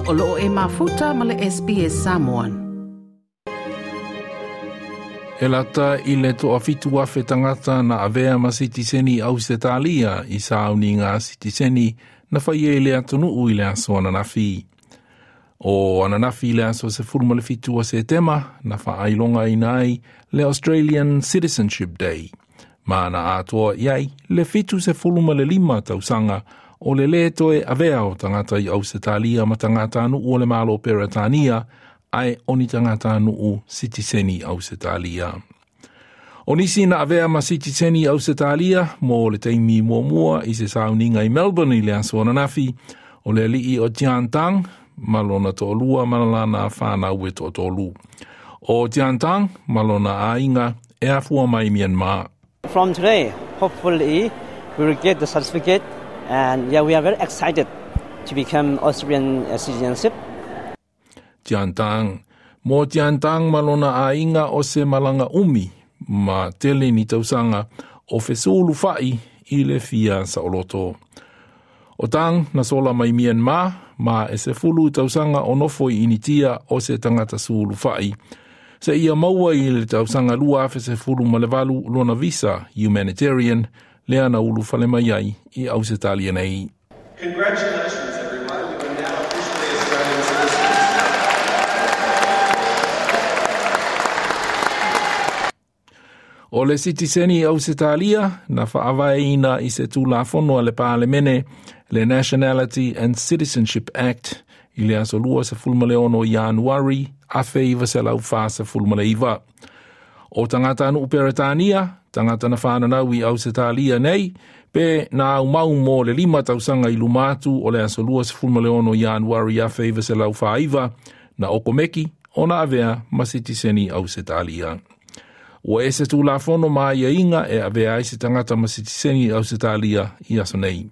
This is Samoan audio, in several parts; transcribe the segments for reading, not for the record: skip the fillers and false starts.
O loo e mafuta ma le SBS Samoan. E lata i le 7,000 tagata na avea ma sitiseni Ausetalia i sauniga sitiseni na faia i le atunuu i le aso ananafi. O ananafi i le aso 17 o Setema na faailogaina ai le Australian Citizenship Day, ma na atoa i ai le 75 tausaga o le lē toe avea o tagata i Ausetalia ma tagatanuu o le Malo Peretania, ae o ni tagatanuu sitiseni Ausetalia. O nisi na avea ma sitiseni Ausetalia mo le taimi muamua i se sauniga i Melbourne i le aso ananafi, o le alii o Tian Tang ma lona toalua ma lana whanau e toatolu. O Tian Tang ma lona aiga e afua mai Myanmar. From today, hopefully, we will get the certificate, and yeah, we are very excited to become Australian citizenship. Tian Tang. Mo Tian Tang ma lona aiga o se malaga umi ma tele ni tausaga o fesulufa'i i le fia saoloto. O Tang na sola mai Myanmar ma e 10 tausaga o nofo i Initia o se tagata sulufa'i. Seia maua i le tausaga 2018 lona visa humanitarian lea na ulufale mai ai i Ausetalia nei. Congratulations everyone, you are now officially Australian citizens. O le sitiseni Ausetalia na faavaeina i se Tulafono a le Palemene le Nationality and Citizenship Act i le aso 26 Ianuari 1949. O tagatanuu Peretania, tagata na whananau i Ausetalia nei, pe na aumau mo le 5 tausaga i luma atu o le aso 26 Ianuari 1949, na okomeki ona avea ma sitiseni Ausetalia. Ua ese Tulafono ma aiaiga e avea ai se tagata ma sitiseni Ausetalia i aso nei.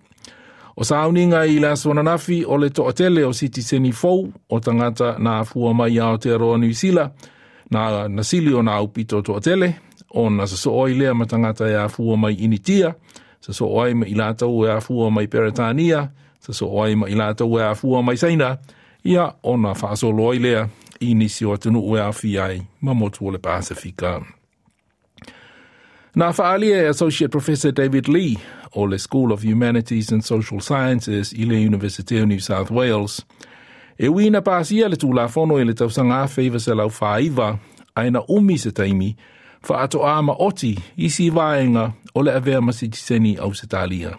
O sauniga i le aso ananafi o le toatele o sitiseni fou o tagata na afua mai Aotearoa Niu Sila, na nasili o na aupito toatele, o na sosoo ai lea ma tagata e afua mai Initia, sosoo ai ma i latou e afua mai Peretania, sosoo ai ma i latou e afua mai Saina, ia ona faasolo ai lea i nisi o atunuu e aafia ai ma motu o le Pasifika. Na faalia e Associate Professor David Lee o le School of Humanities and Social Sciences i le University of New South Wales. E ui na pasia le Tulafono i le tausaga 1949, ae na umi se taimi faatoa maoti isi vaega o le avea ma sitiseni Ausetalia.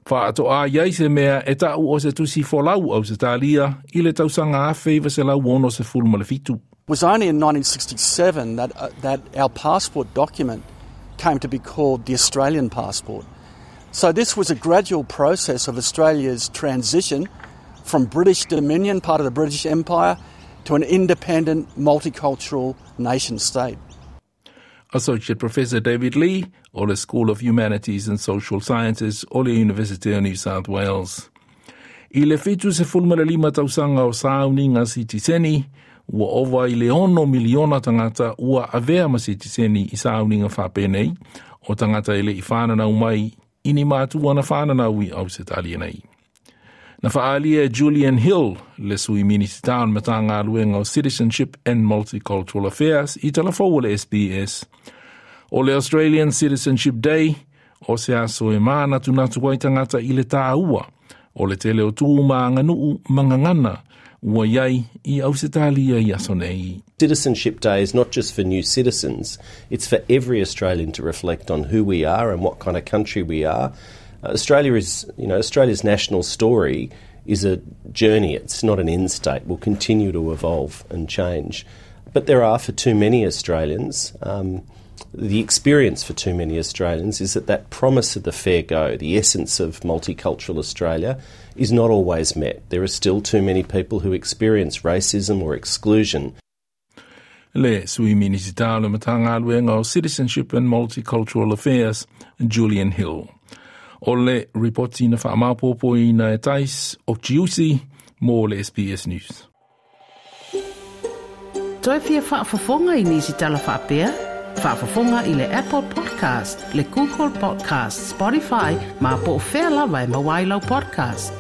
Faatoa i ai se mea e ta'u o se tusi folau Ausetalia i le tausaga 1967. It was only in 1967 that our passport document came to be called the Australian passport. So this was a gradual process of Australia's transition from British Dominion, part of the British Empire, to an independent, multicultural nation state. Associate Professor David Lee o le School of Humanities and Social Sciences o le University of New South Wales. I le 75 tausaga o sauniga sitiseni, ua ova i le 6 miliona tagata ua avea ma sitiseni i sauniga faapenei, o tagata e le'i whananau mai i ni matua na whananau i Ausetalia nei. Na faalia e Julian Hill, le sui Minisita o le Matagaluega o Citizenship and Multicultural Affairs i talafou o le SBS. O le Australian Citizenship Day, o se aso e mānatunatu ai tagata i le tāua, o le tele o tu ma aganuu ma gagana ua i ai i Ausetalia i aso nei. Citizenship Day is not just for new citizens, it's for every Australian to reflect on who we are and what kind of country we are. Australia is, you know, Australia's national story is a journey, it's not an end state. We'll continue to evolve and change. But there are, for too many Australians, the experience for too many Australians is that that promise of the fair go, the essence of multicultural Australia, is not always met. There are still too many people who experience racism or exclusion. Le sui Minisita o le Matagaluega o Citizenship and Multicultural Affairs, Julian Hill. O le ripoti na faamaopoopoina e Tais o Chiusi mo le SBS News. Toe fia faafofoga i nisi tala faapea? Faafofoga i le Apple Podcast, le Google Podcast, Spotify, ma po o fea lava e maua ai lau podcast.